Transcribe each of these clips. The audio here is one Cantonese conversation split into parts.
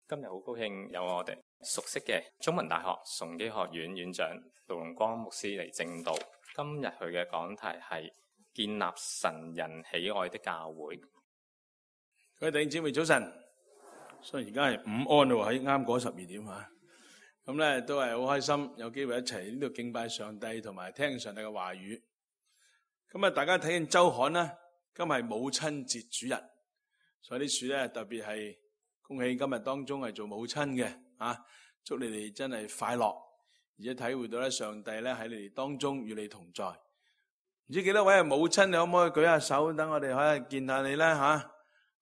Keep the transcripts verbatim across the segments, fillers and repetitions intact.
今日好高興有我哋熟悉嘅中文大學崇基學院院長盧龍光牧師嚟證道。今日佢嘅講題係建立神人喜愛的教會。各位弟兄姊妹早晨，所以而家係午安咯，喺啱過十二點啊。咁咧都係好開心，有機會一齊呢度敬拜上帝，同埋聽上帝嘅話語。咁啊，大家睇見周刊啦，今日係母親節主日，所以啲書咧特別係恭喜今日當中係做母親嘅啊，祝你哋真係快樂，而且體會到咧上帝咧喺你哋當中與你同在。唔知幾多位係母親，你可唔可以舉下手，等我哋可以見下你咧吓？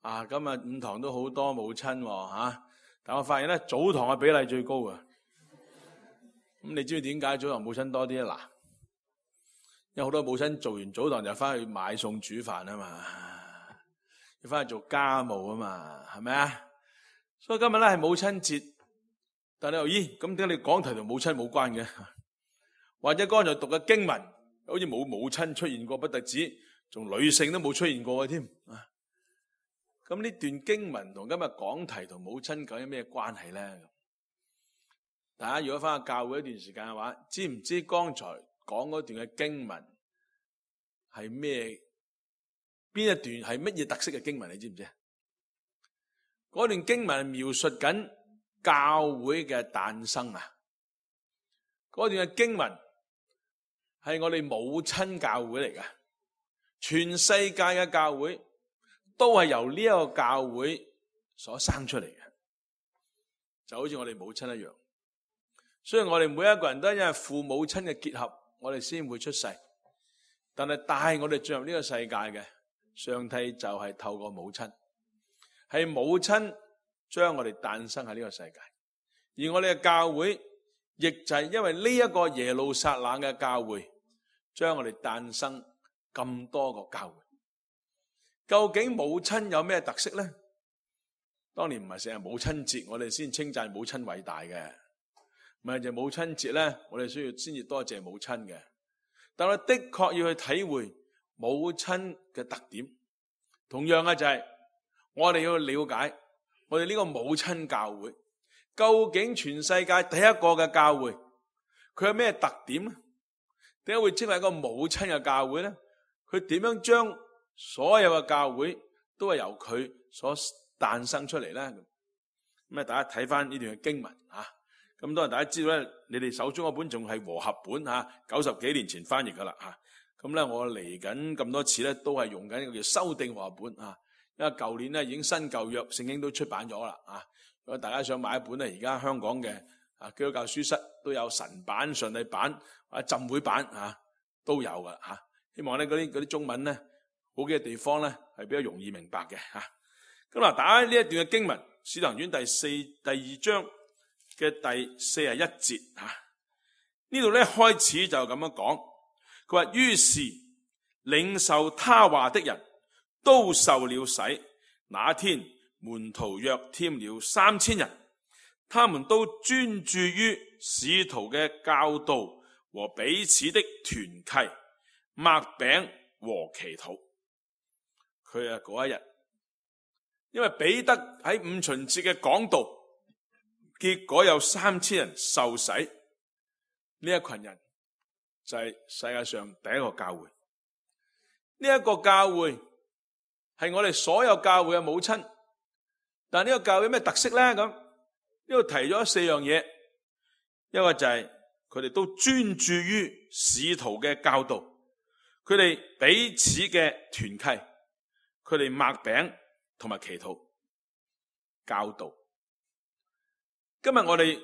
啊，今日五堂都好多母親吓，啊，但我發現咧早堂嘅比例最高啊。咁你知唔知點解早堂母親多啲啊？嗱，因為好多母親做完早堂就翻去買餸煮飯啊嘛，要翻去做家務啊嘛，係咪啊？所以今日咧係母親節，但你又咦，咁點解你講題同母親冇關嘅？或者剛才讀嘅經文好似冇母親出現過，不特止，仲女性都冇出現過嘅添啊！咁呢段經文同今日講題同母親究竟有咩關係咧？大家如果翻去教會一段時間嘅話，知唔知剛才講嗰段嘅經文係咩？邊一段係乜嘢特色嘅經文？你知唔知？嗰段經文係描述緊教會嘅誕生啊！嗰段嘅經文係我哋母親教會嚟㗎，全世界嘅教會都係由呢一個教會所生出嚟嘅，就好似我哋母親一樣。雖然我哋每一個人都係因為父母親嘅結合，我哋先會出世，但係帶我哋進入呢個世界嘅上帝就係透過母親，係母親將我哋誕生喺呢個世界，而我哋嘅教會亦就係因為呢一個耶路撒冷嘅教會，將我哋誕生咁多個教會。究竟母親有咩特色呢？當年唔係成日母親節，我哋先稱讚母親偉大嘅。唔係就母親節咧，我哋需要先至多謝母親嘅。但我的確要去體會母親嘅特點。同樣嘅就係我哋要了解我哋呢個母親教會，究竟全世界第一個嘅教會，佢有咩特點咧？點解會稱為一個母親嘅教會咧？佢點樣將所有嘅教會都係由佢所誕生出嚟咧？咁啊，大家睇翻呢段嘅經文啊。咁當然大家知道咧，你哋手中嗰本仲係和合本吓，九十幾年前翻譯噶啦吓。咁咧我嚟緊咁多次咧，都係用緊一個叫修訂和合本啊。因為舊年咧已經新舊約聖經都出版咗啦啊。如果大家想買一本咧，而家香港嘅啊基督教書室都有神版、上帝版或者浸會版啊都有噶吓。希望咧嗰啲嗰啲中文咧好幾個地方咧係比較容易明白嘅吓。咁嗱，打開呢一段嘅經文，《使徒行傳》第四第二章嘅第四十一節吓，呢度咧開始就咁樣講，佢話於是領受他話的人都受了洗，那天門徒約添了三千人，他們都專注於使徒嘅教導和彼此的團契、擘餅和祈禱。佢啊嗰一日，因為彼得喺五旬節嘅講道，結果有三千人受洗，呢一群人就係世界上第一個教會。呢一個教會係我哋所有教會嘅母親，但係呢個教會有咩特色咧？咁呢度提咗四樣嘢，一個就係佢哋都專注於使徒嘅教導，佢哋彼此嘅團契，佢哋擘餅同埋祈禱教導。今日我哋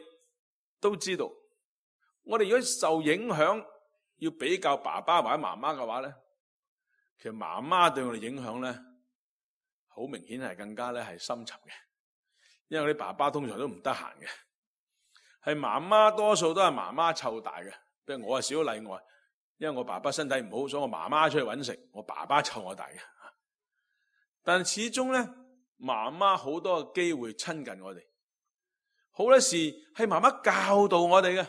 都知道，我哋如果受影響要比較爸爸或者媽媽嘅話咧，其實媽媽對我哋影響咧，好明顯係更加咧係深沉嘅。因為我啲爸爸通常都唔得閒嘅，係媽媽多數都係媽媽湊大嘅。不過我係少例外，因為我爸爸身體唔好，所以我媽媽出去搵食，我爸爸湊我大嘅。但係始終咧，媽媽好多嘅機會親近我哋。好多時係媽媽教導我哋嘅，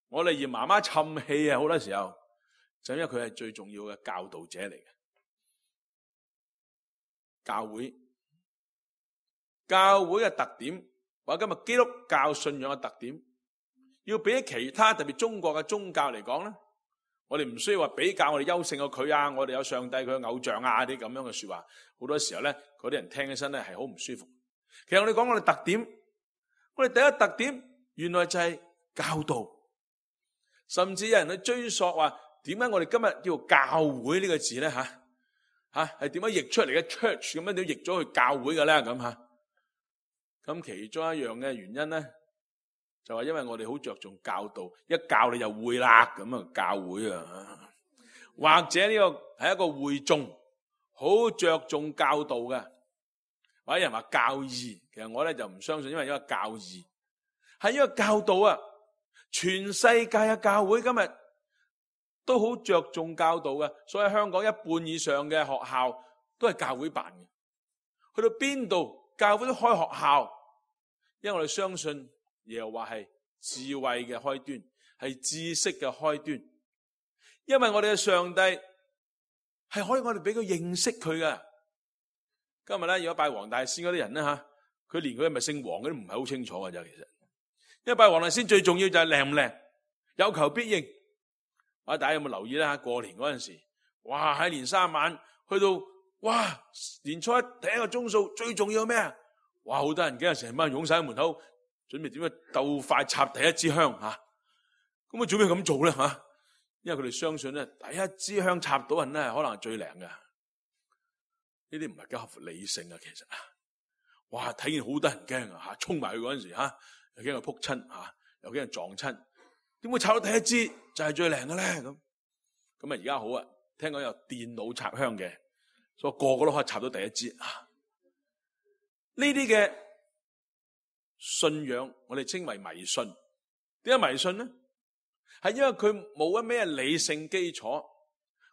我哋嫌媽媽沉氣啊！好多時候就因為佢係最重要嘅教導者嚟嘅。教會教會嘅特點或者今日基督教信仰嘅特點，要比起其他特別中國嘅宗教嚟講咧，我哋唔需要話比較我哋優勝過佢啊，我哋有上帝佢嘅偶像啊啲咁樣嘅說話，好多時候咧嗰啲人聽起身咧係好唔舒服。其實我哋講我哋特點，我哋第一個特點原來就係教導，甚至有人去追溯話點解我哋今日叫做教會呢個字咧吓吓係點樣譯出嚟嘅 church 咁樣點譯咗去教會嘅咧咁吓？咁其中一樣嘅原因咧，就係因為我哋好着重教導，一教你就會啦咁啊教會啊，或者呢個係一個會眾，好着重教導嘅，或者人話教義，其實我咧就唔相信，因為一個教義係一個教導啊，全世界嘅教會今日都好着重教導嘅，所以香港一半以上嘅學校都係教會辦嘅，去到邊度教會都開學校，因為我哋相信耶和華係智慧嘅開端，係知識嘅開端。因為我哋嘅上帝係可以我哋俾佢認識佢嘅。今日咧，如果拜黃大仙嗰啲人咧吓，佢連佢係咪姓黃嗰啲唔係好清楚嘅啫。其實，因為拜黃大仙最重要就係靚唔靚，有求必應。啊，大家有冇留意咧？吓，過年嗰陣時，哇喺年三晚去到，哇年初一第一個鐘數最重要咩啊？哇，好多人驚啊，成班人湧晒喺門口，準備點樣鬥快插第一支香吓。咁啊，做咩咁做咧吓？因為佢哋相信咧，第一支香插到人咧，可能係最靈嘅。呢啲唔係幾合乎理性啊，其實啊，哇睇見好多人驚啊吓，衝埋去嗰陣時吓，又驚佢撲親吓，又驚佢撞親。點會插到第一支就係最靈嘅咧？咁咁啊，而家好啊，聽講有電腦插香嘅，所以個個都可以插到第一支啊。呢啲嘅信仰，我哋稱為迷信。點解迷信呢？係因為佢冇一咩理性基礎，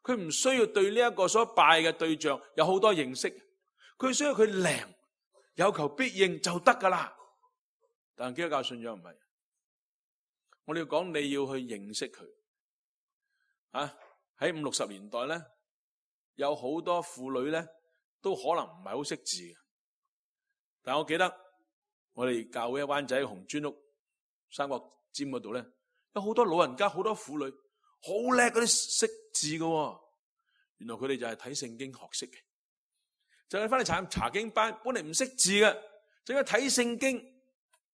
佢唔需要對呢一個所拜嘅對象有好多認識，佢需要佢靈，有求必應就得噶啦。但係基督教信仰唔係，我哋要講你要去認識佢。啊，喺五六十年代咧，有好多婦女咧都可能唔係好識字嘅。但我記得我哋教會喺灣仔紅磚屋三角尖嗰度咧，有好多老人家，好多婦女好叻嗰啲識字嘅。原來佢哋就係睇聖經學識嘅，就係翻嚟查查經班，本嚟唔識字嘅，就因為睇聖經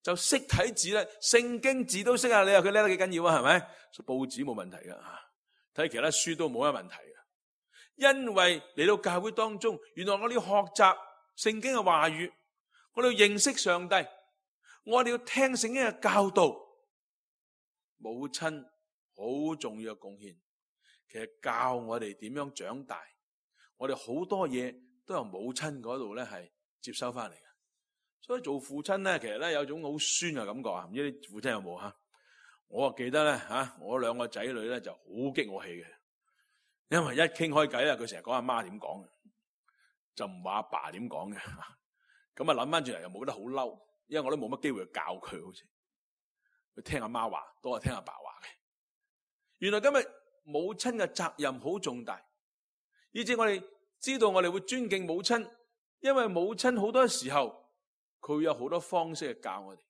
就識睇字啦。聖經字都識啊，你話佢叻得幾緊要啊？係咪？報紙冇問題嘅，睇其他書都冇乜問題嘅。因為嚟到教會當中，原來我哋要學習聖經嘅話語。我哋要認識上帝，我哋要聽聖經嘅教導。母親好重要嘅貢獻，其實教我哋點樣長大，我哋好多嘢都由母親嗰度咧係接收翻嚟嘅。所以做父親咧，其實咧有種好酸嘅感覺啊！唔知你父親有冇吓？我啊記得咧吓，我兩個仔女咧就好激我氣嘅，因為一傾開偈咧，佢成日講阿媽點講嘅，就唔話阿爸點講嘅。咁啊諗翻轉嚟又冇得好嬲，因為我都冇乜機會去教佢，好似佢聽阿媽話多過聽阿爸話嘅。原來今日母親嘅責任好重大，以至我哋知道我哋會尊敬母親，因為母親好多時候佢有好多方式去教我哋。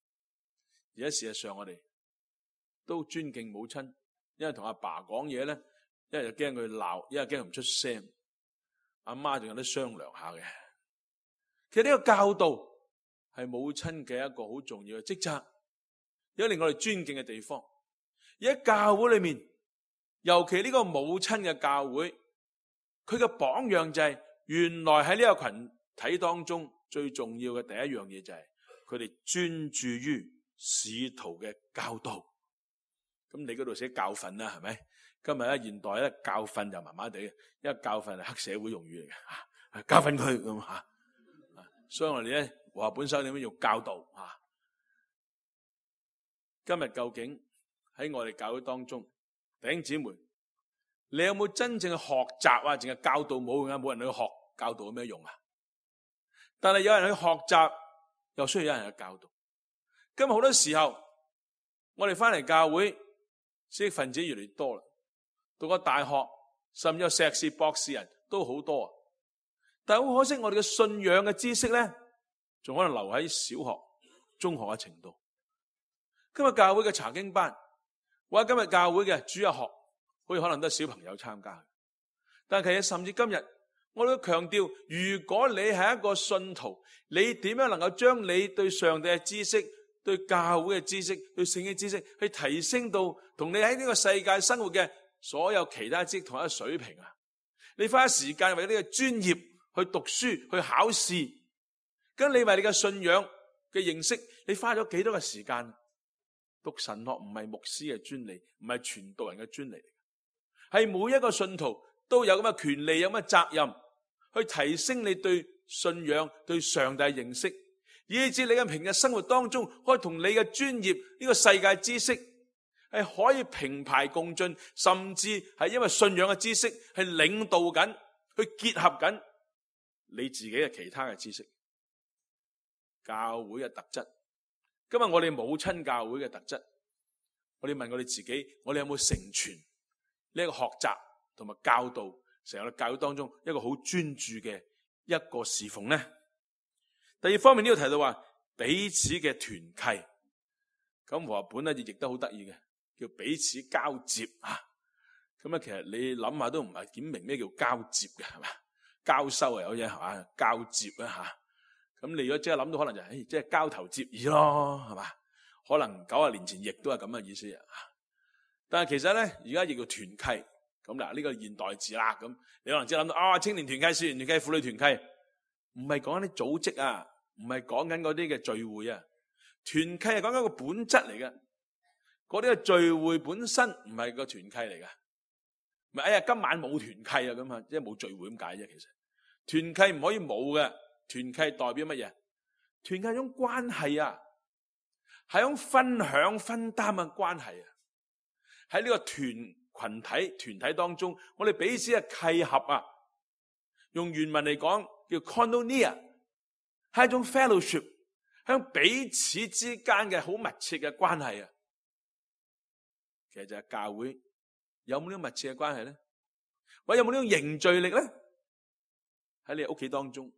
而家事實上我哋都尊敬母親，因為同阿爸講嘢咧，一係就驚佢鬧，一係驚佢唔出聲，阿媽仲有得商量下嘅。其實呢個教導係母親嘅一個好重要嘅職責，有令我哋尊敬嘅地方。而喺教會裏面，尤其呢個母親嘅教會，佢嘅榜樣就係原來喺呢個群體當中最重要嘅第一樣嘢就係佢哋專注於使徒嘅教導。咁你嗰度寫教訓啦，係咪？今日咧現代咧教訓就麻麻地，因為教訓係黑社會用語嚟嘅，教訓佢咁吓。所以我哋咧和合本修點樣用教導啊？今日究竟喺我哋教會當中，弟兄姊妹，你有冇真正嘅學習啊？淨係教導冇用啊？冇人去學教導有咩用啊？但係有人去學習，又需要有人去教導。今日好多時候，我哋翻嚟教會，知識分子越嚟越多啦，讀個大學，甚至有碩士、博士人都好多。但係好可惜，我哋嘅信仰嘅知識咧，仲可能留喺小學，中學嘅程度。今日教會嘅查經班，或者今日教會嘅主日學，好似可能都係小朋友參加。但係其實甚至今日，我都強調，如果你係一個信徒，你點樣能夠將你對上帝嘅知識、對教會嘅知識、對聖經知識，去提升到同你喺呢個世界生活嘅所有其他知識同一個水平啊？你花時間為呢個專業去讀書、去考試，咁你為你嘅信仰嘅認識，你花咗幾多嘅時間？讀神學唔係牧師嘅專利，唔係傳道人嘅專利，係每一個信徒都有咁嘅權利，有咁嘅責任去提升你對信仰、對上帝嘅認識，以至你嘅平日生活當中可以同你嘅專業呢個世界知識係可以平排共進，甚至係因為信仰嘅知識係領導緊，去結合緊你自己嘅其他嘅知識。教會嘅特質，今日我哋母親教會嘅特質，我哋問我哋自己，我哋有冇成全呢一個學習同埋教導成個教會當中一個好專注嘅一個侍奉呢？第二方面呢度提到話彼此嘅團契，咁和合本咧亦譯得好得意嘅，叫彼此交接啊。咁咧其實你諗下都唔係點明咩叫交接嘅，係嘛？交收啊有嘢係嘛？交接啊吓。咁你如果即係諗到可能就係、是，即係交頭接耳咯，係嘛？可能九十年前亦都係咁嘅意思啊。但係其實咧，而家亦叫團契。咁嗱，呢個現代字啦，咁你可能即係諗到啊，青年團契、少年團契、婦女團契，唔係講緊啲組織啊，唔係講緊嗰啲嘅聚會啊。團契係講緊個本質嚟嘅，嗰啲嘅聚會本身唔係個團契嚟嘅。唔係哎呀，今晚冇團契啊，咁啊，即係冇聚會咁解啫。其實團契唔可以冇嘅。團契代表乜嘢？團契係一種關係啊，係一種分享分擔嘅關係啊。喺呢個團群體團體當中，我哋彼此嘅契合啊，用原文嚟講叫 koinonia， 係一種 fellowship， 向彼此之間嘅好密切嘅關係啊。其實就係教會有冇呢種密切嘅關係咧？或者有冇呢種凝聚力咧？喺你屋企當中，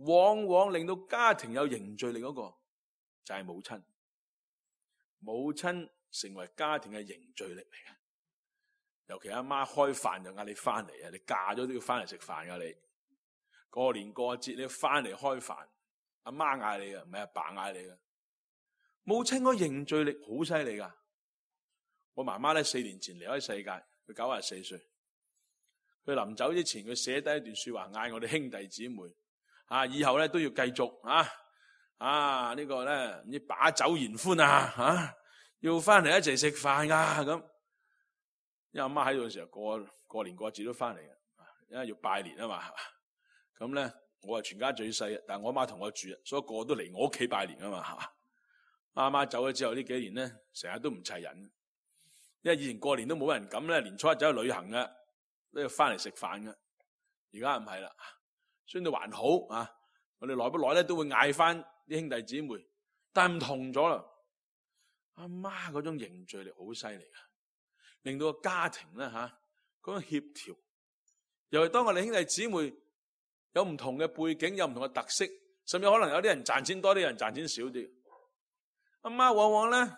往往令到家庭有凝聚力嗰個就係母親，母親成為家庭嘅凝聚力嚟嘅。尤其阿媽開飯就嗌你翻嚟啊，你嫁咗都要翻嚟食飯噶。你過年過節你要翻嚟開飯，阿媽嗌你噶，唔係阿爸嗌你噶。母親個凝聚力好犀利噶。我媽媽咧四年前離開世界，佢九十四歲。佢臨走之前，佢寫低一段說話，嗌我哋兄弟姊妹。啊！以後咧都要繼續啊！啊！這個、呢個咧唔知把酒言歡啊！啊！要翻嚟一齊食飯啊！咁，因為阿媽喺度嘅時候過過年過節都翻嚟嘅，因為要拜年啊嘛。咁咧我係全家最細，但係我阿媽同我住，所以個個都嚟我屋企拜年啊嘛。係嘛？阿媽走咗之後呢幾年咧，成日都唔齊人，因為以前過年都冇人敢咧，年初一走去旅行嘅，都要翻嚟食飯嘅。而家唔係啦。雖然還好啊，我哋耐不耐咧都會嗌翻啲兄弟姊妹，但係唔同咗啦。阿媽嗰種凝聚力好犀利啊，令到個家庭咧吓嗰種協調。尤其當我哋兄弟姊妹有唔同嘅背景，有唔同嘅特色，甚至可能有啲人賺錢多啲，有人賺錢少啲。阿媽往往咧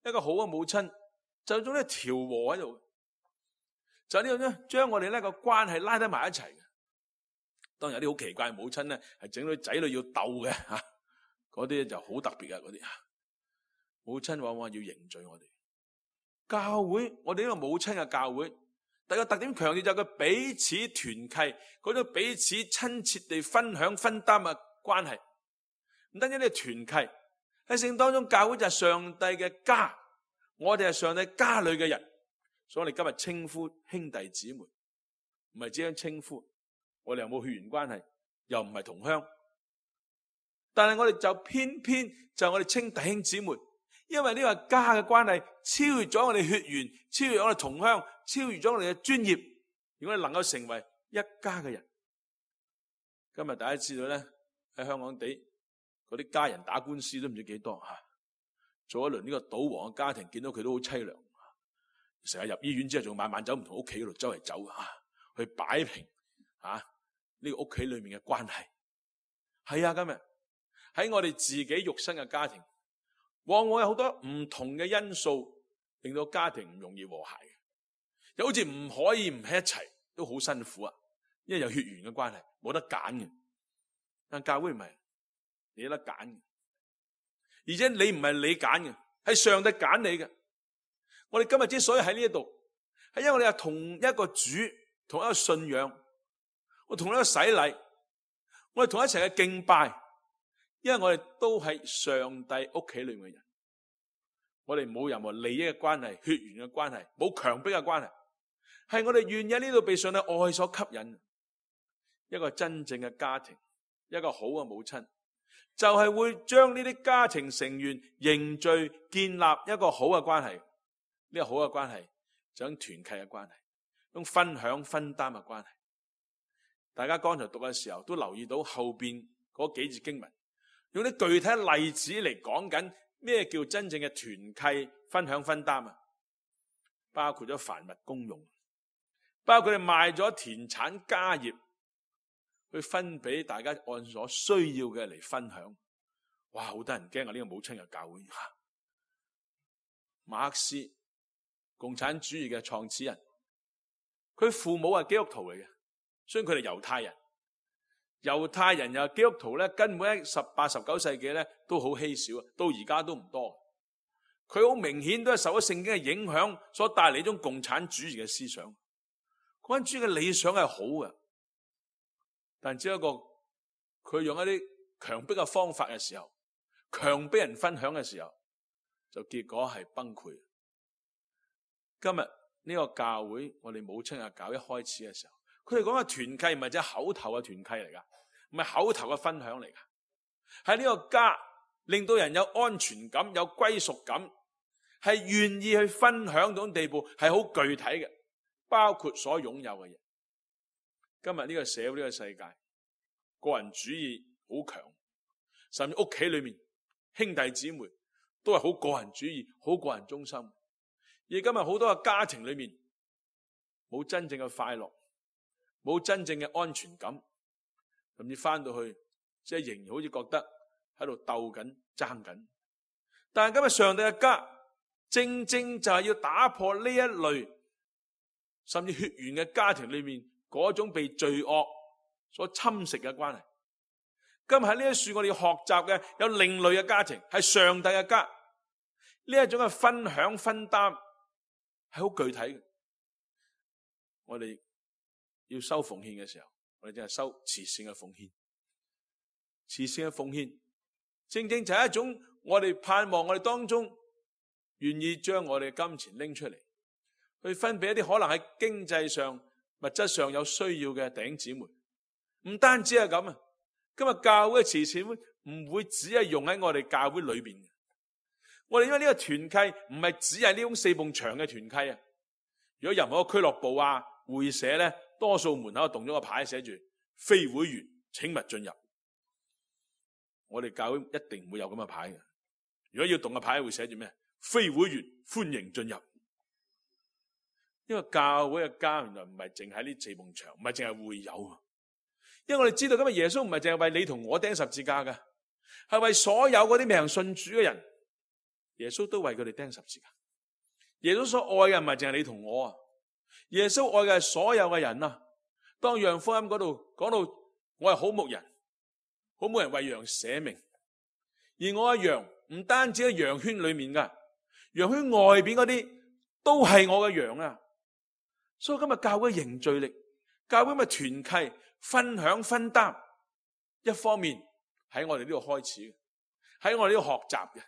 一個好嘅母親，就有種咧調和喺度，就係呢種咧將我哋咧個關係拉得埋一齊。當然有啲好奇怪嘅母親咧，係整到仔女要鬥嘅吓，嗰啲就好特別嘅嗰啲。母親往往要凝聚我哋教會，我哋呢個母親嘅教會，第一個特點強調就係佢彼此團契，嗰種彼此親切地分享分擔嘅關係。唔單止呢個團契喺聖經當中，教會就係上帝嘅家，我哋係上帝家裏嘅人，所以我哋今日稱呼兄弟姊妹，唔係只係稱呼。我哋又冇血緣關係，又唔係同鄉，但係我哋就偏偏就我哋稱弟兄姊妹，因為呢個家嘅關係超越咗我哋血緣，超越咗我哋同鄉，超越咗我哋嘅專業，如果你能夠成為一家嘅人。今日大家知道咧，喺香港地嗰啲家人打官司都唔知幾多吓，做一輪呢個賭王嘅家庭，見到佢都好淒涼，成日入醫院之後仲晚晚走唔同屋企嗰度周圍走吓，去擺平啊呢個屋企裏面嘅關係。係啊，今日喺我哋自己肉身嘅家庭，往往有好多唔同嘅因素，令到家庭唔容易和諧嘅。又好似唔可以唔喺一齊，都好辛苦啊！因為有血緣嘅關係，冇得揀嘅。但教會唔係，你有得揀嘅，而且你唔係你揀嘅，係上帝揀你嘅。我哋今日之所以喺呢一度，係因為我哋係同一個主，同一個信仰，我同一個洗禮，我哋同一齊嘅敬拜，因為我哋都係上帝屋企裏面嘅人，我哋冇任何利益嘅關係、血緣嘅關係，冇強迫嘅關係，係我哋願意喺呢度被上帝愛所吸引。一個真正嘅家庭，一個好嘅母親，就係會將呢啲家庭成員凝聚、建立一個好嘅關係。呢個好嘅關係就係團契嘅關係，用分享分擔嘅關係。大家剛才讀嘅時候都留意到後邊嗰幾節經文，用啲具體例子嚟講緊咩叫真正嘅團契分享分擔啊！包括咗凡物公用，包括佢哋賣咗田產家業去分俾大家按所需要嘅嚟分享。哇，好得人驚啊！呢個母親嘅教會，馬克思共產主義嘅創始人，佢父母係基督徒嚟嘅，所以佢哋猶太人。猶太人又係基督徒咧，根本喺十八、十九世紀咧都好稀少，到而家都唔多。佢好明顯都係受咗聖經嘅影響，所帶嚟一種共產主義嘅思想。共產主義嘅理想係好嘅，但只不過佢用一啲強迫嘅方法嘅時候，強迫人分享嘅時候，就結果係崩潰。今日呢個教會，我哋母親嘅教一開始嘅時候，佢哋講嘅團契唔係只係口頭嘅團契嚟噶，唔係口頭嘅分享嚟噶，喺呢個家令到人有安全感、有歸屬感，係願意去分享嗰種地步，係好具體嘅，包括所擁有嘅嘢。今日呢個社會、呢個世界，個人主義好強，甚至屋企裏面兄弟姊妹都係好個人主義、好個人中心。而今日好多嘅家庭裏面冇真正嘅快樂，冇真正嘅安全感，甚至翻到去即係仍然好似覺得喺度鬥緊、爭緊。但係今日上帝嘅家，正正就係要打破呢一類甚至血緣嘅家庭裏面嗰種被罪惡所侵蝕嘅關係。今日喺呢一處我哋要學習嘅有另類嘅家庭，係上帝嘅家。呢一種嘅分享分擔係好具體嘅。我哋要收奉獻嘅時候，我哋就係收慈善嘅奉獻。慈善嘅奉獻正正就係一種我哋盼望我哋當中願意將我哋嘅金錢拎出嚟，去分俾一啲可能喺經濟上、物質上有需要嘅弟兄姊妹。唔單止係咁啊，今日教會嘅慈善會唔會只係用喺我哋教會裏邊嘅？我哋因為呢個團契唔係只係呢種四埲牆嘅團契啊。如果任何一個俱樂部啊、會社咧，多數門口動咗個牌寫住非會員請勿進入。我哋教會一定唔會有咁嘅牌嘅。如果要動嘅牌會寫住咩？非會員歡迎進入。因為教會嘅家原來唔係淨喺呢四埲牆，唔係淨係會友。因為我哋知道今日耶穌唔係淨係為你同我釘十字架嘅，係為所有嗰啲未信主嘅人，耶穌都為佢哋釘十字架。耶穌所愛嘅唔係淨係你同我啊，耶穌愛嘅係所有嘅人啊。當約翰福音嗰度講到我係好牧人，好牧人為羊捨命，而我嘅羊唔單止喺羊圈裏面噶，羊圈外邊嗰啲都係我嘅羊啊。所以今日教會凝聚力，教會咪團契分享分擔，一方面喺我哋呢度開始，喺我哋呢度學習嘅。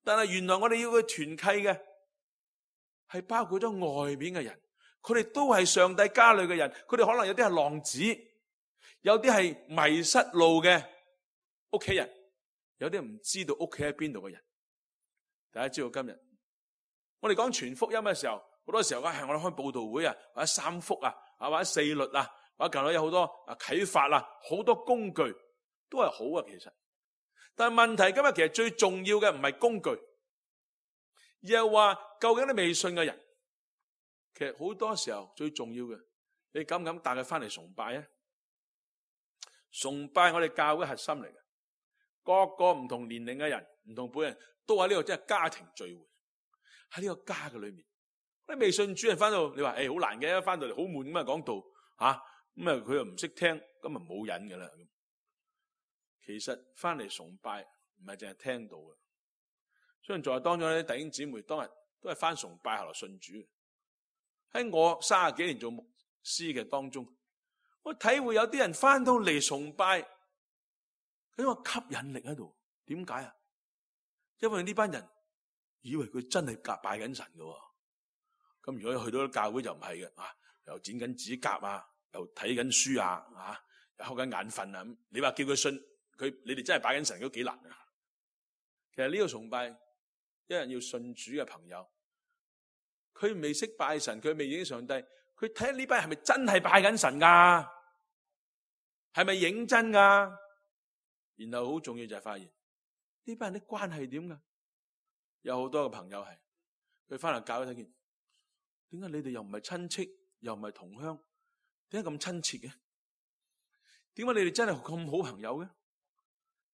但係原來我哋要去團契嘅係包括咗外邊嘅人，佢哋都係上帝家裏嘅人，佢哋可能有啲係浪子，有啲係迷失路嘅屋企人，有啲唔知道屋企喺邊度嘅人。大家知道今日我哋講傳福音嘅時候，好多時候係我哋開佈道會啊，或者三福啊，或者四律啊，或者近來有好多啊啟發啊，好多工具都係好啊。其實，但係問題今日其實最重要嘅唔係工具，而係話究竟你未信嘅人，其實好多時候最重要嘅，你敢唔敢帶佢翻嚟崇拜啊？崇拜我哋教會核心嚟嘅，各個唔同年齡嘅人、唔同輩人都喺呢個即係家庭聚會，喺呢個家嘅裏面。啲未信主人翻到，你話誒好難嘅，翻到嚟好悶咁啊講道吓，咁啊佢又唔識聽，咁啊冇癮噶啦。其實翻嚟崇拜唔係淨係聽到嘅，雖然在當中啲弟兄姊妹當日都係翻崇拜後來信主。喺我三十幾年做牧師嘅當中，我體會有啲人翻到嚟崇拜，佢有個吸引力喺度。點解啊？因為呢班人以為佢真係夾拜緊神嘅。咁如果去到教會就唔係嘅，啊又剪緊指甲啊，又睇緊書啊，啊又瞌緊眼瞓啊。咁你話叫佢信佢，你哋真係拜緊神都幾難啊。其實呢個崇拜，一人要信主嘅朋友，佢未識拜神，佢未認識上帝，佢睇下呢班人係咪真係拜緊神噶？係咪認真噶？然後好重要就係發現呢班人啲關係點噶？有好多個朋友係佢翻嚟教會睇見，點解你哋又唔係親戚，又唔係同鄉，點解咁親切嘅？點解你哋真係咁好朋友嘅？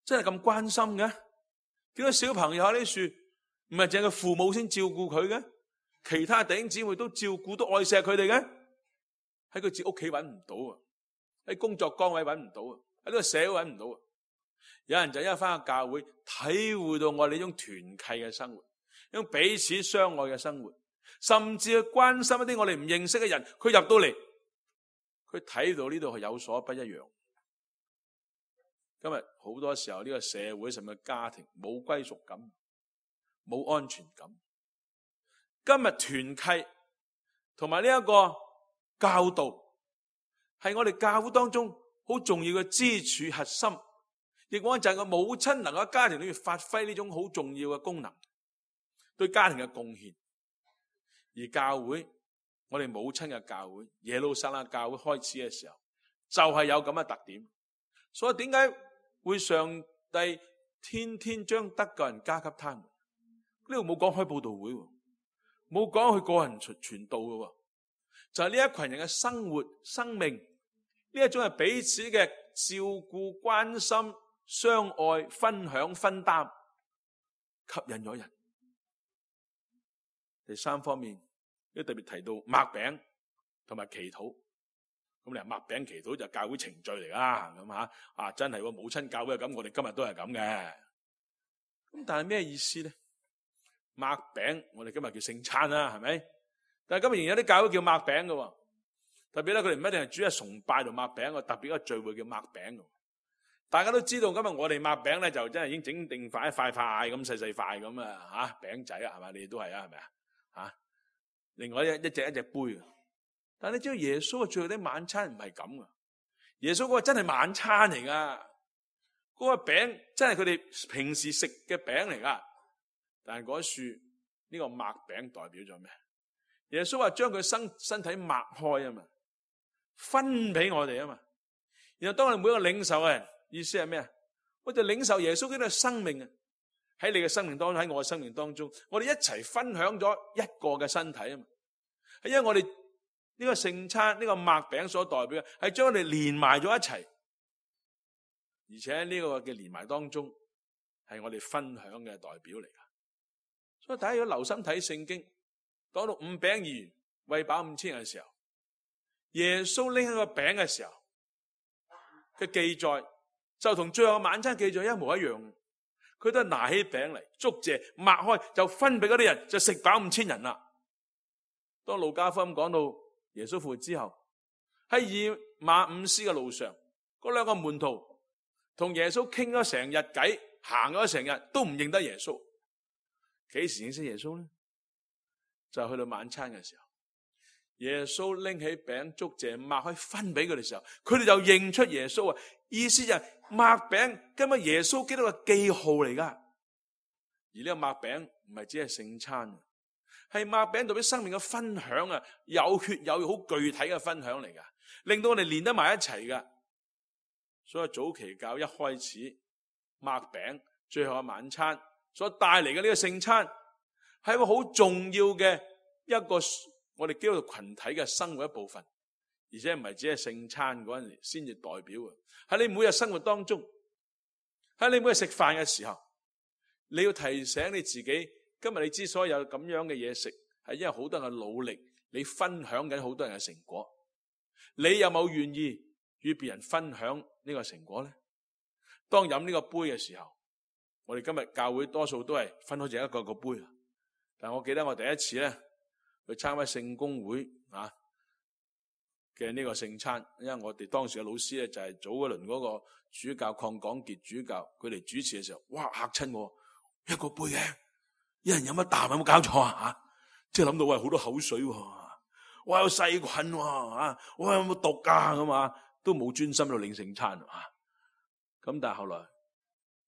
真係咁關心嘅？點解小朋友喺呢樹唔係淨係父母先照顧佢嘅？其他弟兄姊妹都照顧，都愛錫佢哋嘅？喺佢自己屋企揾唔到啊，喺工作崗位揾唔到啊，喺呢個社會揾唔到啊。有人就因為翻去教會，體會到我哋呢種團契嘅生活，呢種彼此相愛嘅生活，甚至去關心一啲我哋唔認識嘅人。佢入到嚟，佢睇到呢度係有所不一樣。今日好多時候呢個社會甚至家庭冇歸屬感，冇安全感。今日團契同埋呢一個教導係我哋教會當中好重要嘅支柱核心，亦講就係個母親能夠喺家庭裏面發揮呢種好重要嘅功能，對家庭嘅貢獻。而教會，我哋母親嘅教會，耶路撒冷教會開始嘅時候，就係有咁嘅特點。所以點解會上帝天天將得救人加給他們？呢度冇講開佈道會，冇講佢個人傳道嘅，就係呢一群人嘅生活、生命，呢一種係彼此嘅照顧、關心、相愛、分享、分擔，吸引咗人。第三方面，呢特別提到擘餅同埋祈禱。咁你話擘餅祈禱就教會程序嚟啦，咁吓啊真係母親教會係咁，我哋今日都係咁嘅。咁但係咩意思咧？擘餅，我哋今日叫聖餐啦，係咪？但係今日仍然有啲教會叫擘餅嘅，特別咧佢哋唔一定係主日崇拜同擘餅，個特別一個聚會叫擘餅。大家都知道今日我哋擘餅咧就真係已經整定塊一塊塊咁細細塊咁啊吓餅仔啊，係咪？你哋都係啊，係咪啊？吓，另外一一隻一隻杯。但係你知道耶穌嘅最後啲晚餐唔係咁噶，耶穌嗰個真係晚餐嚟噶，嗰個餅真係佢哋平時食嘅餅嚟噶。但係嗰樹呢個擘餅代表咗咩？耶穌話將佢身身體擘開啊嘛，分俾我哋啊嘛。然後當我哋每一個領受嘅人，意思係咩啊？我哋領受耶穌基督嘅生命啊，喺你嘅生命當中，喺我嘅生命當中，我哋一齊分享咗一個嘅身體啊嘛。係因為我哋呢個聖餐呢個擘餅所代表嘅係將我哋連埋咗一齊，而且呢個嘅連埋當中係我哋分享嘅代表嚟噶。所以大家如果留心睇聖經，講到五餅二魚餵飽五千人嘅時候，耶穌拎起個餅嘅時候嘅記載就同最後嘅晚餐記載一模一樣。佢都係拿起餅嚟，祝謝擘開就分俾嗰啲人，就食飽五千人啦。當路加福音講到耶穌復活之後，喺以馬忤斯嘅路上，嗰兩個門徒同耶穌傾咗成日偈，行咗成日都唔認得耶穌。幾時認識耶穌呢？就去到晚餐嘅時候，耶穌拎起餅祝謝擘開分俾佢哋嘅時候，佢哋就認出耶穌啊！意思就係擘餅根本耶穌基督嘅記號嚟噶。而呢個擘餅唔係只係聖餐，係擘餅代表生命嘅分享啊，有血有肉好具體嘅分享嚟噶，令到我哋連得埋一齊噶。所以早期教一開始擘餅，最後嘅晚餐所帶嚟嘅呢個聖餐，係一個好重要嘅一個我哋基督徒群體嘅生活一部分，而且唔係只係聖餐嗰陣時先至代表嘅，喺你每日生活當中，喺你每日食飯嘅時候，你要提醒你自己，今日你之所以有咁樣嘅嘢食，係因為好多人嘅努力，你分享緊好多人嘅成果。你有冇願意與別人分享呢個成果呢？當飲呢個杯嘅時候，我哋今日教會多數都係分開淨一個一個杯。但我記得我第一次咧去參加聖公會啊嘅呢個聖餐，因為我哋當時嘅老師咧就係早嗰輪嗰個主教鄺廣傑主教，佢嚟主持嘅時候，哇嚇親我，一個杯嘅，一人飲一啖，有冇搞錯啊？吓，即係諗到喂好多口水喎，哇有細菌喎，啊，哇有冇毒噶咁啊，都冇專心到領聖餐啊。咁但係後來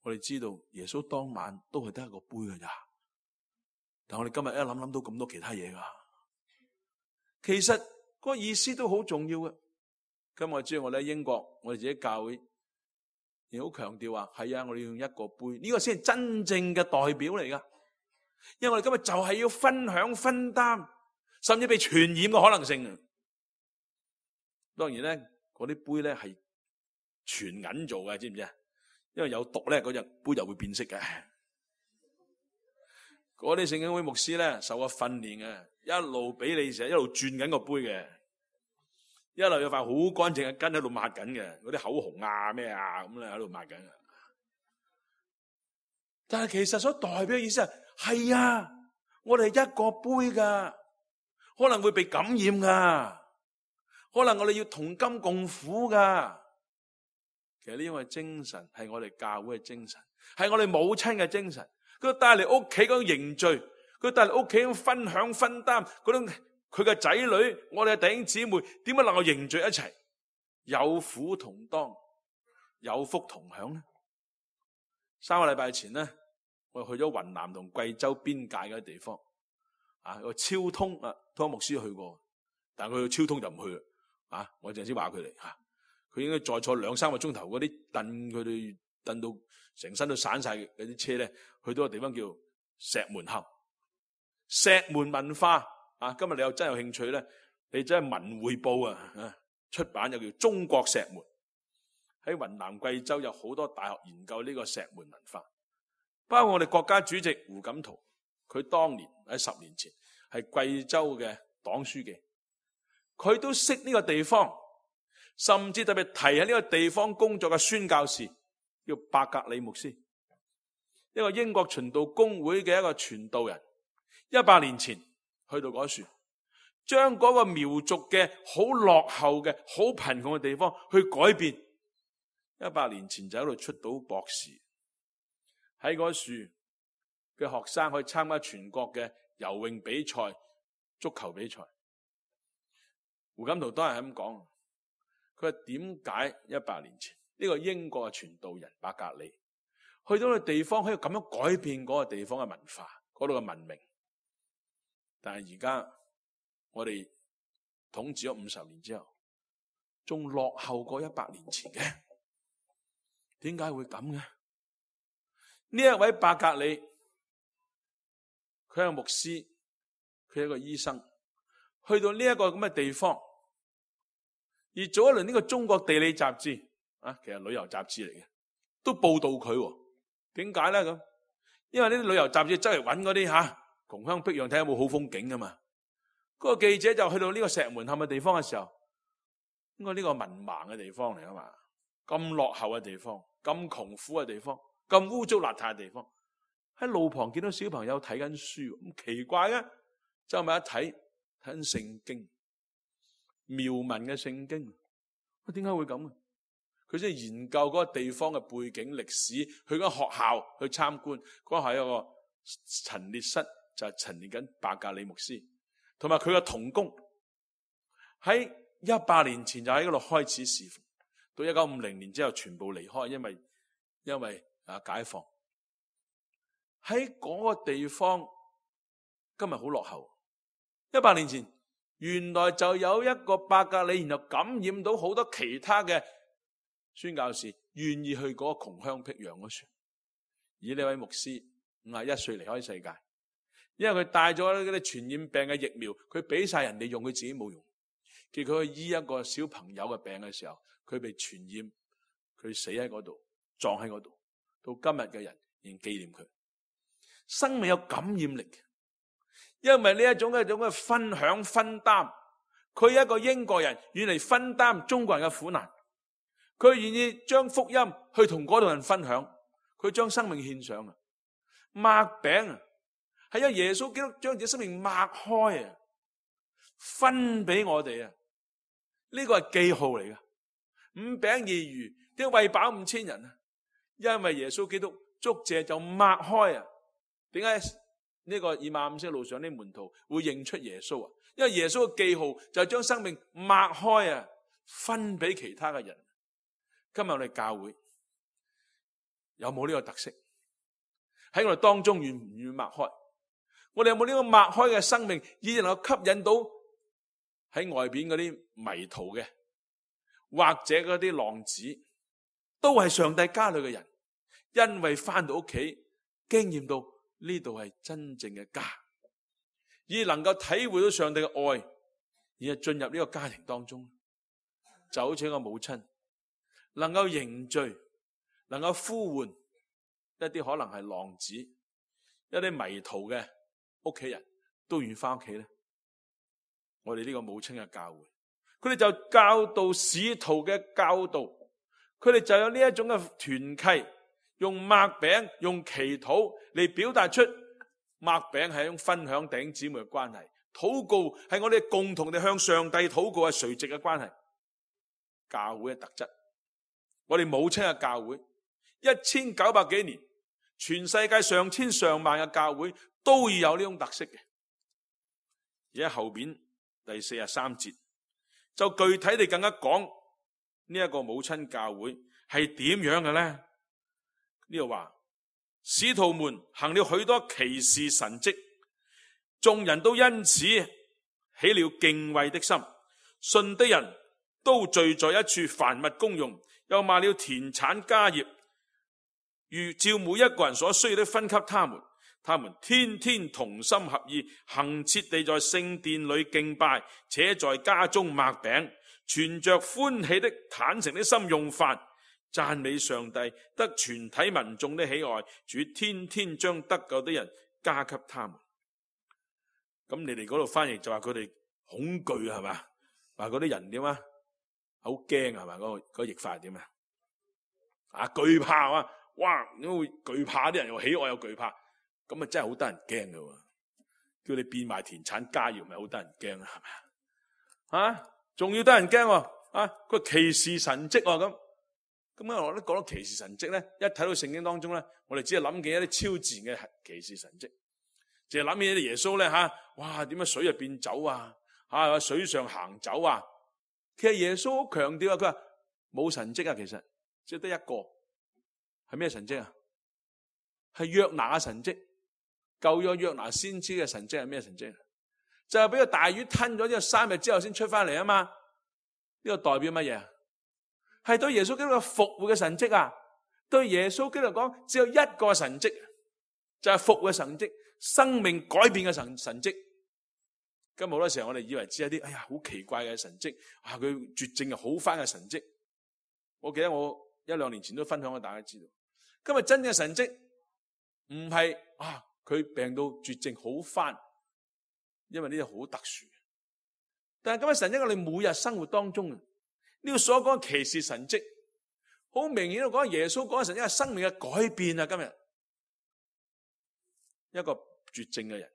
我哋知道耶穌當晚都係得一個杯㗎咋，但我哋今日一諗諗到咁多其他嘢噶，其實嗰個意思都好重要嘅。今日我知道我哋喺英國，我哋自己教會亦好強調話，係啊，我哋要用一個杯，呢個先係真正嘅代表嚟噶。因為我哋今日就係要分享分擔，甚至被傳染嘅可能性。當然咧，嗰啲杯咧係全銀做嘅，知唔知啊？因為有毒咧，嗰隻杯就會變色嘅。嗰啲聖經會牧師咧受過訓練嘅，一路俾你成日一路轉緊個杯嘅，一路有塊好乾淨嘅巾喺度抹緊嘅，嗰啲口紅啊咩啊咁咧喺度抹緊嘅。但係其實所代表嘅意思係，係啊，我哋係一個杯噶，可能會被感染噶，可能我哋要同甘共苦噶。其實呢種嘅精神係我哋教會嘅精神，係我哋母親嘅精神。佢帶嚟屋企嗰種凝聚，佢帶嚟屋企嗰種分享分擔，嗰種佢嘅仔女，我哋嘅弟兄姊妹，點解能夠凝聚一齊，有苦同當，有福同享呢？三個禮拜前呢，我去咗雲南同貴州邊界嘅地方，啊，個超通啊，湯牧師去過，但係佢去超通就唔去啦，啊，我陣時話佢哋吓，佢應該再坐兩三個鐘頭，嗰啲凳佢哋凳到成身都散晒嘅嗰啲車咧，去到個地方叫石門後，石門文化啊，今日你有真有興趣咧，你真係文匯報啊，出版又叫中國石門，喺雲南貴州有好多大學研究呢個石門文化。包括我哋國家主席胡錦濤，佢當年喺十年前係貴州嘅黨書記，佢都識呢個地方，甚至特別提喺呢個地方工作嘅宣教士叫伯格里牧師，一個英國循道公會嘅一個傳道人，一百年前去到嗰處，將嗰個苗族嘅好落後嘅好貧窮嘅地方去改變，一百年前就喺度出到博士。喺嗰樹嘅學生可以參加全國嘅游泳比賽、足球比賽。胡錦濤當然係咁講，佢話點解一百年前呢個英國嘅傳道人伯格利去到個地方可以咁樣改變嗰個地方嘅文化、嗰度嘅文明，但係而家我哋統治咗五十年之後，仲落後過一百年前嘅，點解會咁嘅？呢一位伯格利，佢係個牧師，佢係一個醫生，去到呢一個咁嘅地方，而做一輪呢個中國地理雜誌啊，其實旅遊雜誌嚟嘅，都報道佢。點解咧咁？因為呢啲旅遊雜誌真係揾嗰啲吓窮鄉僻壤睇下有冇好風景噶嘛。嗰個記者就去到呢個石門坎嘅地方嘅時候，應該呢個文盲嘅地方嚟啊嘛，咁落後嘅地方，咁窮苦嘅地方。咁污糟邋遢嘅地方，喺路旁見到小朋友睇緊書，咁奇怪嘅，就咪一睇睇緊聖經，苗文嘅聖經，我點解會咁啊？佢先研究嗰個地方嘅背景歷史，去嗰學校去參觀，嗰係一個陳列室，就係陳列緊伯格里牧師，同埋佢嘅同工，喺一百年前就喺嗰度開始侍奉，到一九五零年之後全部離開，因為因為。啊！解放喺嗰個地方，今日好落後。一百年前，原來就有一個伯格里，然後感染到好多其他嘅宣教士，願意去嗰個窮鄉僻壤嗰處。而呢位牧師五十一歲離開世界，因為佢帶咗嗰啲傳染病嘅疫苗，佢俾晒人哋用，佢自己冇用。結果佢醫一個小朋友嘅病嘅時候，佢被傳染，佢死喺嗰度，撞喺嗰度。到今日嘅人仍紀念佢。生命有感染力嘅，因為呢一種一種嘅分享分擔，佢係一個英國人願嚟分擔中國人嘅苦難，佢願意將福音去同嗰度人分享，佢將生命獻上啊！擘餅啊，係因為耶穌基督將自己生命擘開啊，分俾我哋啊！呢個係記號嚟噶。五餅二魚點解餵飽五千人啊？因為耶穌基督祝謝就擘開啊！點解呢個以馬忤斯路上啲門徒會認出耶穌啊？因為耶穌嘅記號就係將生命擘開啊，分俾其他嘅人。今日我哋教會有冇呢個特色？喺我哋當中願唔願意擘開？我哋有冇呢個擘開嘅生命，以能夠吸引到喺外邊嗰啲迷途嘅，或者嗰啲浪子，都係上帝家裏嘅人，因為翻到屋企經驗到呢度係真正嘅家，而能夠體會到上帝嘅愛，而係進入呢個家庭當中，就好似一個母親能夠凝聚，能夠呼喚一啲可能係浪子，一啲迷途嘅屋企人都願意翻屋企咧。我哋呢個母親嘅教會，佢哋就教導使徒嘅教導，佢哋就有呢一種嘅團契，用擘餅、用祈禱嚟表達出擘餅係一種分享弟兄姊妹嘅關係，禱告係我哋共同地向上帝禱告係垂直嘅關係。教會嘅特質，我哋母親嘅教會，一千九百幾年，全世界上千上萬嘅教會都要有呢種特色嘅。而喺後邊第四十三節就具體地更加講呢一個母親教會係點樣嘅咧？呢度話使徒們行了許多奇事神蹟，眾人都因此起了敬畏的心，信的人都聚在一處，凡物公用，又賣了田產家業，如照每一個人所需要的分給他們。他們天天同心合意，恆切地在聖殿裏敬拜，且在家中擘餅，存着歡喜的坦誠的心用飯，讚美上帝，得全體民眾的喜愛。主天天將得救的人加給他們。咁你哋嗰度翻譯就話佢哋恐懼係嘛？話嗰啲人點啊？好驚係嘛？嗰、嗰個嗰、嗰個譯法係點啊？啊懼怕啊！哇！點會懼怕啲人又喜愛又懼怕？咁啊真係好得人驚噶，叫你變賣田產家業咪好得人驚啊？係咪啊？啊，仲要得人驚啊！個奇事神蹟咁，咁啊我都講到奇事神蹟咧，一睇到聖經當中咧，我哋只係諗見一啲超自然嘅奇事神蹟，淨係諗起啲耶穌咧吓，哇點解水入變酒啊？吓水上行走啊？其實耶穌好強調啊，佢話冇神蹟啊，其實只得一個，係咩神蹟啊？係約拿嘅神蹟。舊約約拿先知嘅神蹟係咩神蹟？就係俾個大魚吞咗之後三日之後先出翻嚟啊嘛！呢個代表乜嘢？係對耶穌基督嘅復活嘅神蹟啊！對耶穌基督嚟講，只有一個神蹟，就係復活嘅神蹟，生命改變嘅神神蹟。今日好多時候我哋以為只係啲哎呀好奇怪嘅神蹟，啊佢絕症又好翻嘅神蹟。我記得我一兩年前都分享俾大家知道，今日真嘅神蹟唔係啊。佢病到絕症好翻，因為呢啲好特殊。但係今日神蹟我哋每日生活當中，呢個所講嘅奇事神蹟，好明顯都講耶穌講嘅神蹟係生命嘅改變啊！今日一個絕症嘅人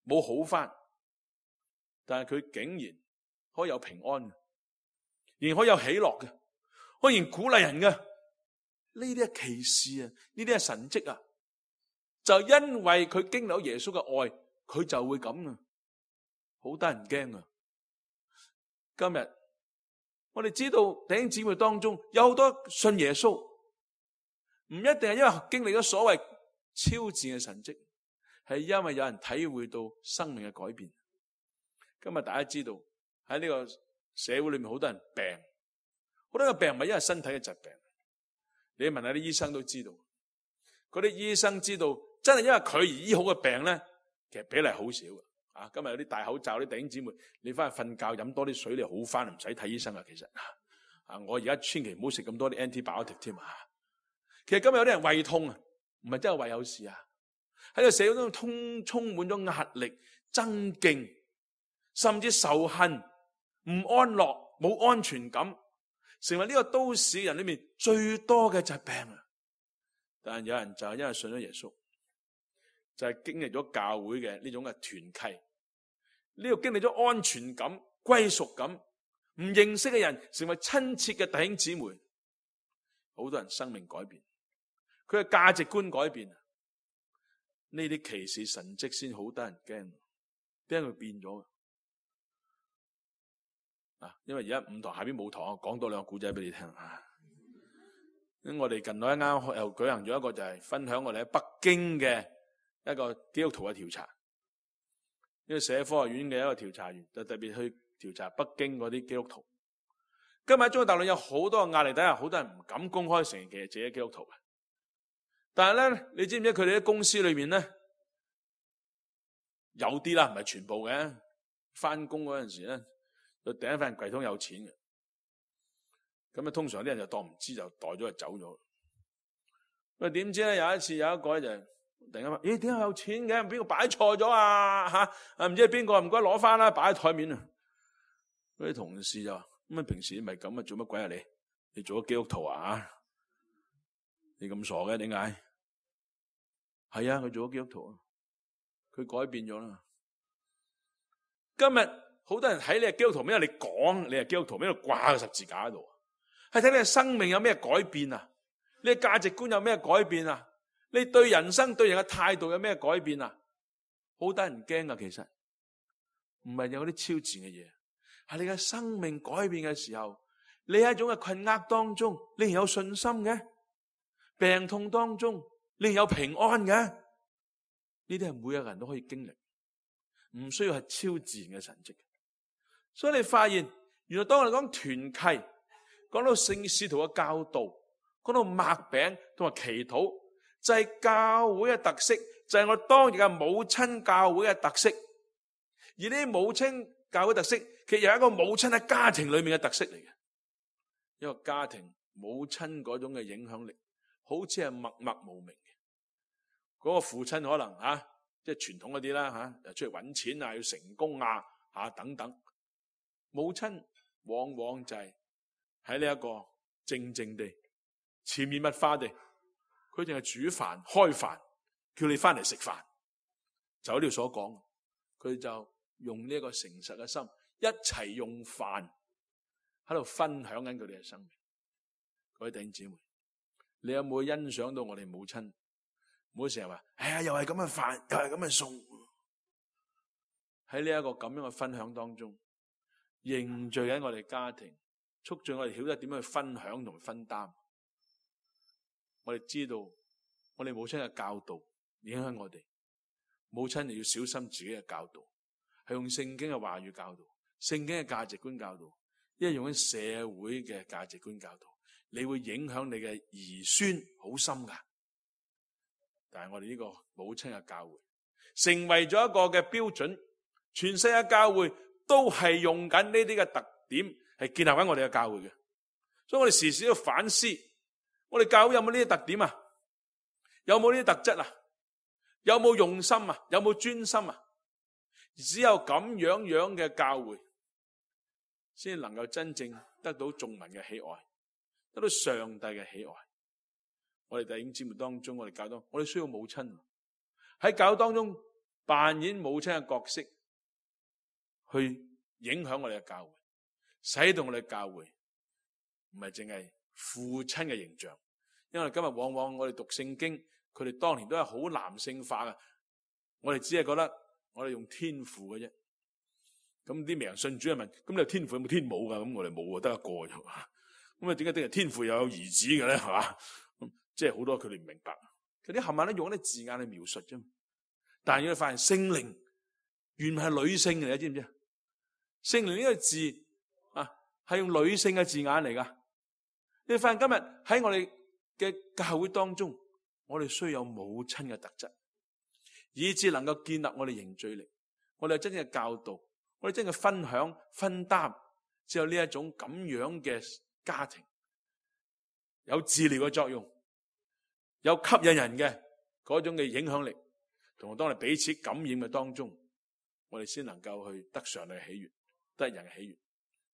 冇好翻，但係佢竟然可以有平安，仍然可以有喜樂嘅，可以鼓勵人嘅。呢啲係奇事啊！呢啲係神蹟啊！就因為佢經歷到耶穌嘅愛，佢就會咁啊，好得人驚啊！今日我哋知道弟兄姊妹當中有好多信耶穌，唔一定係因為經歷咗所謂超自然嘅神蹟，係因為有人體會到生命嘅改變。今日大家知道喺呢個社會裏面好多人病，好多嘅病唔係因為身體嘅疾病，你問下啲醫生都知道，嗰啲醫生知道。真係因為佢而醫好嘅病咧，其實比例好少嘅。啊，今日有啲戴口罩啲弟兄姊妹，你翻去瞓覺飲多啲水，你好翻，唔使睇醫生啊。其實啊，我而家千祈唔好食咁多啲 antibiotic 添啊。其實今日有啲人胃痛啊，唔係真係胃有事啊，喺個社會中充充滿咗壓力、爭競，甚至仇恨、唔安樂、冇安全感，成為呢個都市人裏面最多嘅疾病啊！但係有人就係因為信咗耶穌，就係經歷咗教會嘅呢種嘅團契，呢個經歷咗安全感、歸屬感，唔認識嘅人成為親切嘅弟兄姊妹，好多人生命改變，佢嘅價值觀改變，呢啲奇事神蹟先好得人驚，點解佢變咗啊？因為而家五堂下邊冇堂，講多兩個故仔俾你聽啊！咁我哋近來啱啱又舉行咗一個就係分享我哋喺北京嘅一個基督徒嘅調查，呢個社科學院嘅一個調查員就特別去調查北京嗰啲基督徒。今日喺中國大陸有好多嘅壓力底下，好多人唔敢公開承認其實自己係基督徒嘅。但係咧，你知唔知佢哋喺公司裏面咧有啲啦，唔係全部嘅。翻工嗰陣時咧，就第一份櫃桶有錢嘅。咁啊，通常啲人就當唔知，就袋咗就走咗。咁點知咧，有一次有一個咧就突然間話：咦，點解有錢嘅？邊個擺錯咗啊？吓啊，唔知係邊個，唔該攞翻啦，擺喺台面啊！嗰啲同事就話：咁啊，平時咪咁啊，做乜鬼啊你？你做咗基督徒啊？你咁傻嘅？點解？係啊，佢做咗基督徒啊，佢改變咗啦。今日好多人睇你係基督徒，因為你講你係基督徒，邊度掛個十字架喺度？係睇你嘅生命有咩改變啊？你嘅價值觀有咩改變啊？你對人生對人嘅態度有咩改變啊？好得人驚啊！其實唔係有啲超自然嘅嘢，係你嘅生命改變嘅時候，你喺一種嘅困厄當中，你係有信心嘅；病痛當中，你係有平安嘅。呢啲係每一個人都可以經歷，唔需要係超自然嘅神蹟。所以你發現，原來當我哋講團契，講到聖使徒嘅教導，講到擘餅同埋祈禱，就係教會嘅特色，就係我當日嘅母親教會嘅特色。而呢啲母親教會特色，其實有一個母親喺家庭裏面嘅特色嚟嘅。一個家庭母親嗰種嘅影響力，好似係默默無名嘅。嗰個父親可能吓，即係傳統嗰啲啦吓，又出去搵錢啊，要成功啊吓等等。母親往往就係喺呢一個靜靜地、潛移默化地，佢淨係煮飯、開飯，叫你翻嚟食飯。就喺呢度所講，佢就用呢一個誠實嘅心，一齊用飯喺度分享緊佢哋嘅生命。各位弟兄姊妹，你有冇欣賞到我哋母親？唔好成日話，哎呀，又係咁嘅飯，又係咁嘅餸。喺呢一個咁樣嘅分享當中，凝聚緊我哋家庭，促進我哋曉得點樣去分享同分擔。我哋知道，我哋母親嘅教導影響我哋，母親你要小心自己嘅教導，係用聖經嘅話語教導，聖經嘅價值觀教導，因為用緊社會嘅價值觀教導，你會影響你嘅兒孫好深噶。但係我哋呢個母親嘅教會成為咗一個嘅標準，全世界教會都係用緊呢啲嘅特點，係建立緊我哋嘅教會嘅。所以我哋時時都要反思，我哋教會有冇呢啲特點啊？有冇呢啲特質啊？有冇用心啊？有冇專心啊？只有咁樣樣嘅教會，先能夠真正得到眾民嘅喜愛，得到上帝嘅喜愛。我哋弟兄姊妹當中，我哋教當，我哋需要母親喺教當中扮演母親嘅角色，去影響我哋嘅教會，使到我哋嘅教會唔係淨係父親嘅形象。因為今日往往我哋讀聖經，佢哋當年都係好男性化嘅，我哋只係覺得我哋用天父嘅啫。咁啲名人信主係問：咁你有天父有冇天母噶？咁我哋冇啊，得一個啫。咁啊，點解定係天父又有兒子嘅咧？係嘛？即係好多佢哋唔明白，佢啲冚唪唥都用一啲字眼去描述啫。但係要發現聖靈原來係女性嚟，你知唔知啊？聖靈呢個字啊，係用女性嘅字眼嚟噶。你發現今日喺我哋嘅教會當中，我哋需要有母親嘅特質，以致能夠建立我哋凝聚力。我哋有真正嘅教導，我哋真正嘅分享分擔，只有呢一種咁樣嘅家庭有治療嘅作用。有吸引人嘅嗰種嘅影響力，同埋當我哋彼此感染嘅當中，我哋先能夠去得上帝嘅喜悅，得人嘅喜悅。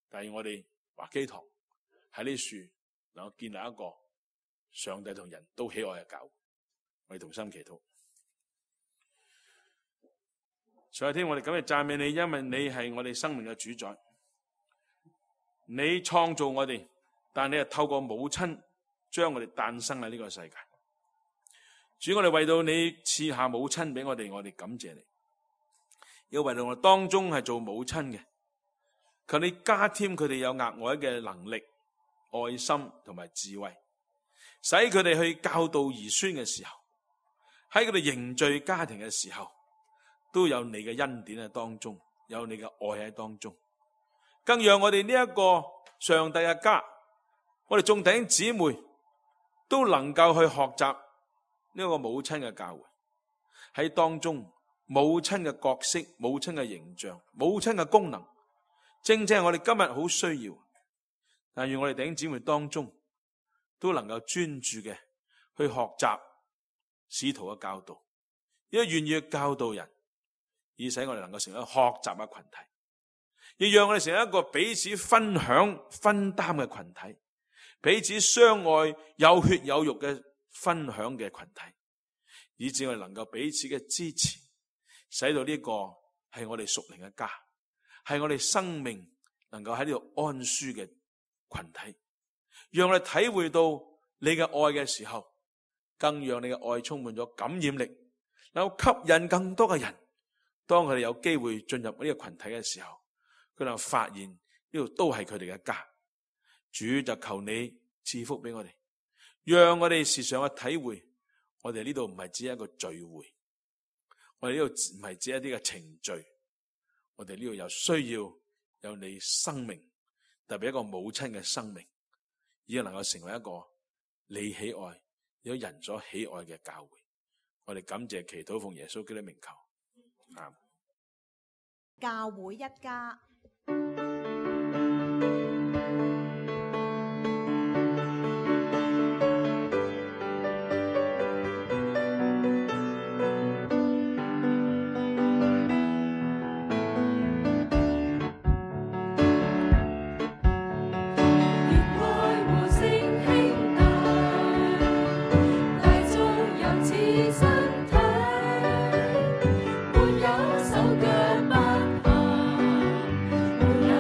但係我哋華基堂喺呢樹能夠建立一個上帝同人都喜愛嘅教會，我哋同心祈禱。上帝天，我哋今日讚美你，因為你係我哋生命嘅主宰，你創造我哋，但你係透過母親將我哋誕生喺呢個世界。主，我哋為到你賜下母親俾我哋，我哋感謝你。要為到我哋當中係做母親嘅，求你加添佢哋有額外嘅能力、愛心同埋智慧，使佢哋去教導兒孫嘅時候，喺佢哋凝聚家庭嘅時候，都有你嘅恩典喺當中，有你嘅愛喺當中，更讓我哋呢一個上帝嘅家，我哋眾弟兄姊妹都能夠去學習呢個母親嘅教誨，喺當中母親嘅角色、母親嘅形象、母親嘅功能，正正係我哋今日好需要。但願我哋弟兄姊妹當中都能夠專注嘅去學習使徒嘅教導，亦都願意去教導人，以使我哋能夠成為一個學習嘅群體，亦讓我哋成為一個彼此分享分擔嘅群體，彼此相愛有血有肉嘅分享嘅群體，以致我哋能夠彼此嘅支持，使到呢個係我哋屬靈嘅家，係我哋生命能夠喺呢度安舒嘅群體，讓我哋體會到你嘅愛嘅時候，更讓你嘅愛充滿咗感染力，能夠吸引更多嘅人。當佢哋有機會進入呢個群體嘅時候，佢哋發現呢度都係佢哋嘅家。主就求你賜福俾我哋，讓我哋時常去體會，我哋呢度唔係只係一個聚會，我哋呢度唔係只係一啲嘅程序，我哋呢度有需要有你生命，特別一個母親嘅生命，而能夠成為一個你喜愛有人所喜愛嘅教會。我哋感謝祈禱奉耶穌基督名求。教會一家。沒有手腳不行，沒有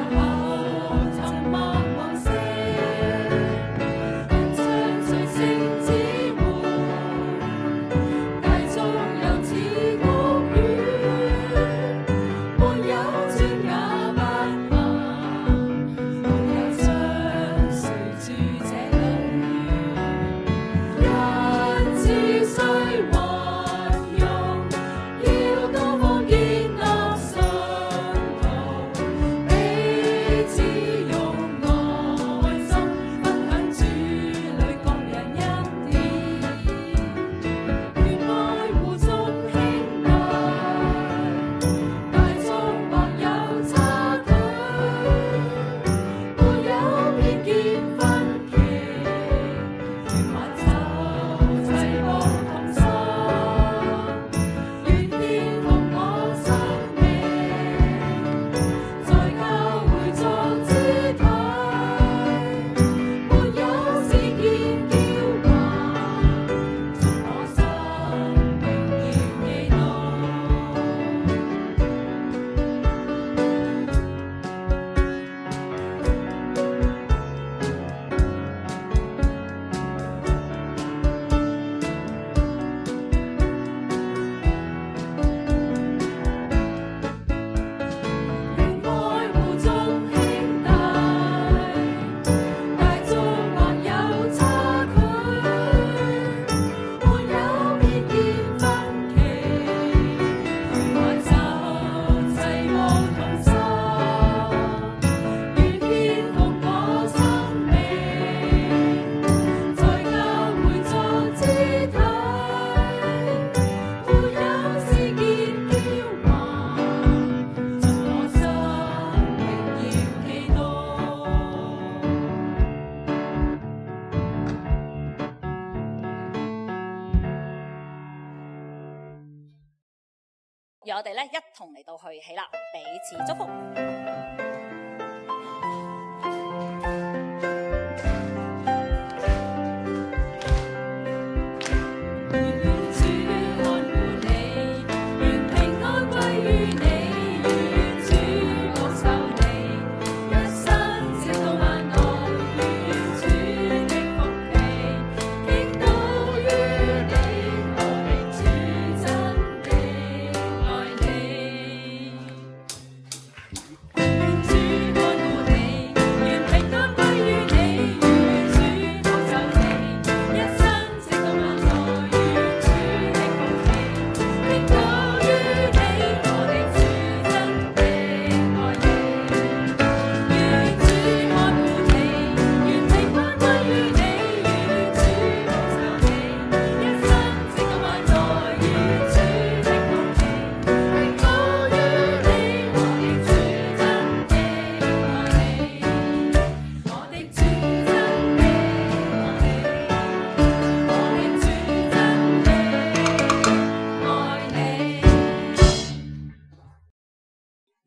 讓我哋咧一同嚟到去起立，彼此祝福。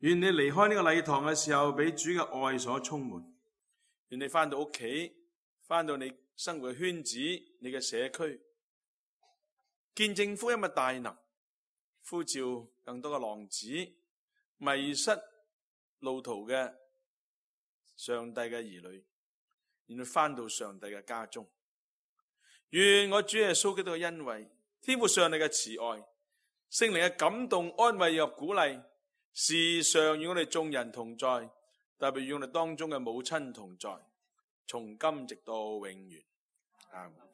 願你離開呢個禮堂嘅時候，俾主嘅愛所充滿。願你返到屋企，返到你生活嘅圈子，你嘅社區，見證福音嘅大能，呼召更多嘅浪子，迷失路途嘅上帝嘅兒女，願你返到上帝嘅家中。願我主耶穌基督嘅恩惠，天父上帝嘅慈愛，聖靈嘅感動、安慰及鼓勵，時常與我哋眾人同在，特別與我哋當中嘅母親同在，從今直到永遠。阿們。